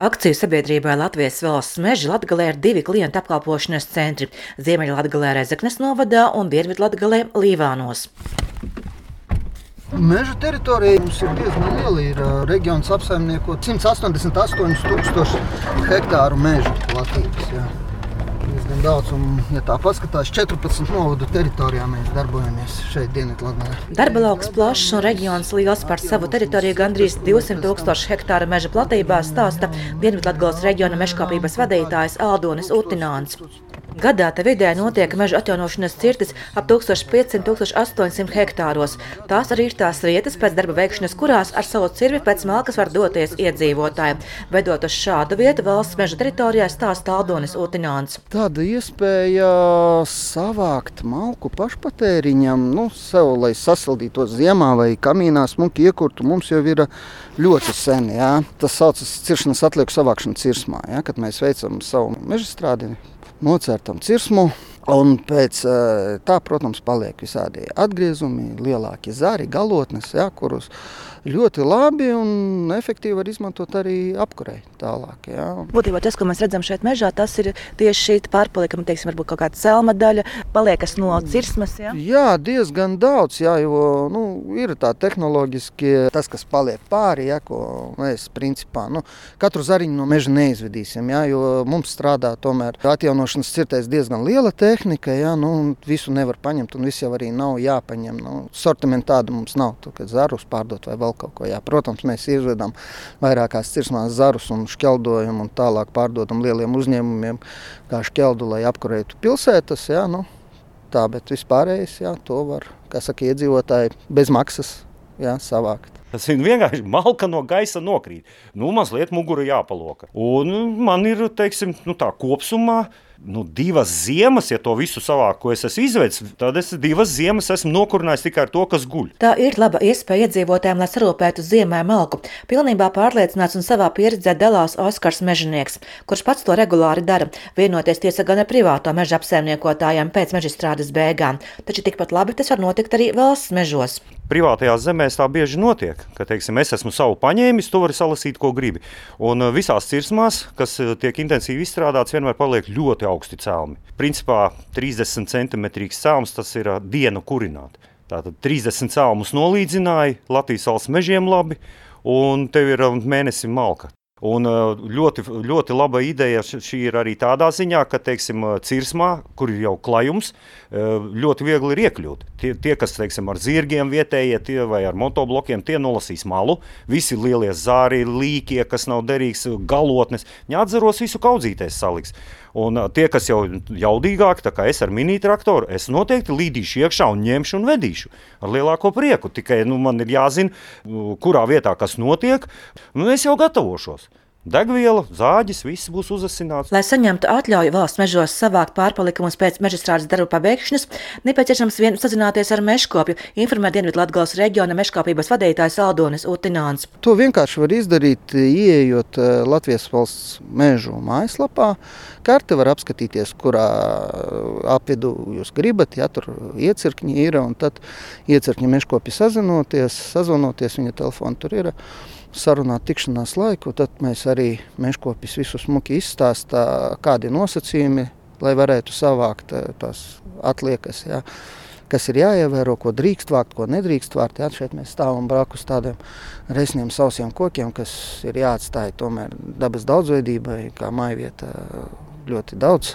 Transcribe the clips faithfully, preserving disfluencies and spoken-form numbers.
Akciju sabiedrībai Latvijas valsts meži Latgalē ir divi klientu apkalpošanas centri - Ziemeļlatgalē Rezeknes novadā un Dienvidlatgalē Līvānos. Meža teritorija mums ir diezgan liela. Ir reģions apsaimnieko simts astoņdesmit astoņi tūkstoši hektāru meža platības. Jā. Diezgan daudz, un, ja tā paskatās, četrpadsmit novadu teritorijā mēs darbojamies šeit Dienvidlatgalē. Darba lauks plašs un reģions liels. Par savu teritoriju gandrīz divsimt tūkstoši hektāru meža platībā stāsta Dienvidlatgales reģiona mežkopības vadītājs Aldonis Utināns. Gadā te vidē notiek meža atjaunošanas cirtis ap tūkstoš piecsimt līdz tūkstoš astoņsimt hektāros. Tās arī ir tās vietas pēc darba veikšanas, kurās ar savu cirvi pēc malkas var doties iedzīvotāji. Vedot uz šādu vietu valsts meža teritorijā, stāsta Aldonis Utināns. Tāda iespēja savākt malku pašpatēriņam, nu, sev, lai sasildītos ziemā vai kamīnā smuki iekurtu, mums jau ir ļoti sen. Jā. Tas saucas ciršanas atlieku savākšana cirsmā, jā, kad mēs veicam savu mežstrādi. Nocērtam cirsmu, un pēc tā, protams, paliek visādi atgriezumi, lielāki zari, galotnes, jā, kurus ļoti labi un efektīvi var izmantot arī apkurei tālāk. Jā. Būtībā tas, ko mēs redzam šeit mežā, tas ir tieši šī pārpalikuma, teiksim, varbūt kaut kāda celma daļa, paliekas no cirsmas. Jā, jā diezgan daudz, jā, jo nu, ir tā tehnoloģiski tas, kas paliek pāri, jā, ko mēs principā nu, katru zariņu no meža neizvedīsim, jā, jo mums strādā tomēr atjaunošanas cirtēs diezgan liela tehnika, jā, nu, visu nevar paņemt un visu jau arī nav jāpaņem. Nu, sortimentu tādu mums nav, tu, kad zarus pārdot vai vēl kaut ko. Jā. Protams, mēs izvedam vairākās cirsmās zarus un šķeldojam un tālāk pārdodam lieliem uzņēmumiem kā šķeldu, lai apkurētu pilsētas. Jā, nu, tā, bet vispārējais, jā, to var, kā saka, iedzīvotāji bez maksas jā, savākt. Tas ir vienkārši malka no gaisa nokrīt. Nu, mazliet mugura jāpaloka. Un man ir, teiksim, nu tā kopsumā, nu, divas ziemas, ja to visu savāk, ko es esmu izvedis, tad es divas ziemas esmu nokurinājis tikai ar to, kas guļ. Tā ir laba iespēja iedzīvotājiem, lai sarūpētu ziemē malku. Pilnībā pārliecināts un savā pieredzē dalās Oskars Mežinieks, kurš pats to regulāri dara, vienoties tiesa gan ar privāto meža apsaimniekotājiem pēc mežstrādes beigām. Taču tikpat labi tas var notikt arī valsts mežos. Privātajās zemēs tā bieži notiek, ka, teiksim, es esmu savu paņēmis, tu vari salasīt, ko gribi. Un visās cirsmās, kas tiek intensīvi izstrādāts, vienmēr paliek ļoti augsti celmi. Principā trīsdesmit centimetrīgs celms, tas ir dienu kurināt. Tātad trīsdesmit celmus nolīdzināja, Latvijas valsts mežiem labi, un tev ir mēnesim malka. Un ļoti, ļoti laba ideja šī ir arī tādā ziņā, ka, teiksim, cirsmā, kur ir jau klajums, ļoti viegli ir iekļūt. Tie, tie kas, teiksim, ar zirgiem vietējie tie vai ar motoblokiem, tie nolasīs malu. Visi lielie zāri, līkie, kas nav derīgs, galotnes, viņi atzaros visu kaudzīties saliks. Un tie, kas jau jaudīgāki, tā kā es ar mini traktoru, es noteikti līdīšu iekšā un ņemšu un vedīšu ar lielāko prieku. Tikai nu, man ir jāzina, kurā vietā kas notiek, un es jau gatavošos. Degviela, zāģis, viss būs uzasināts. Lai saņemtu atļauju valsts mežos savākt pārpalikumus pēc mežstrādes darba pabeigšanas, nepieciešams vien sazināties ar mežkopju, informē Dienvidlatgales reģiona mežkopības vadītājs Aldonis Utināns. To vienkārši var izdarīt, ieejot Latvijas valsts mežu mājaslapā. Karte var apskatīties, kurā apvidu jūs gribat, ja tur iecirkņi ir, un tad iecirkņi mežkopi sazinoties, sazvanoties, viņa telefona tur ir. Sarunāt tikšanās laiku, tad mēs arī mežkopis visu smuki izstāstā, kādi nosacījumi, lai varētu savākt tās atliekas, jā, kas ir jāievēro, ko drīkst vākt, ko nedrīkst vākt. Jā, šeit mēs stāvam blakus tādiem resniem sausiem kokiem, kas ir jāatstāja tomēr dabas daudzveidībai, kā mājvieta ļoti daudz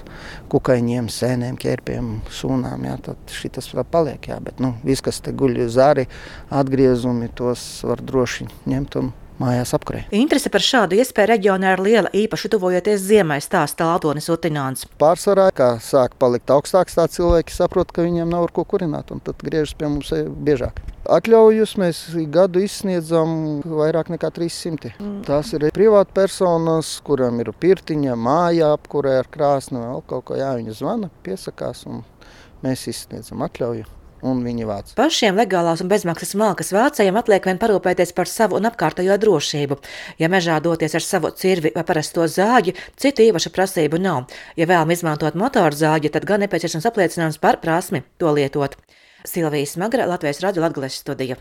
kukaiņiem, sēnēm, ķērpiem, sūnām, jā, tad šitas paliek, jā, bet, nu, viss, kas te guļ zāri, atgriezumi, tos var droši ņemt un mājās apkurē. Interese par šādu iespēju reģionā ir liela, īpaši tuvojoties ziemai, stāsta Aldonis Utināns. Pārsvarā, kā sāk palikt augstāks, tā cilvēki saprot, ka viņiem nav ar ko kurināt, un tad griežas pie mums biežāk. Atļaujus mēs gadu izsniedzam vairāk nekā trīs simti. Mm. Tās ir privāti personas, kuram ir pirtiņa, māja apkurē ar krāsni, vēl kaut ko, jā, viņi zvana, piesakās, un mēs izsniedzam atļauju. Un viņi vāc. Pašiem legālās un bezmaksas malkas vācējiem atliek vien parūpēties par savu un apkārtējo drošību. Ja mežā doties ar savu cirvi vai parasto zāģi, citu īpašu prasību nav. Ja vēlam izmantot motoru zāģi, tad gan nepieciešams apliecinājums par prasmi to lietot. Silvija Smagra, Latvijas radio Latgales studija.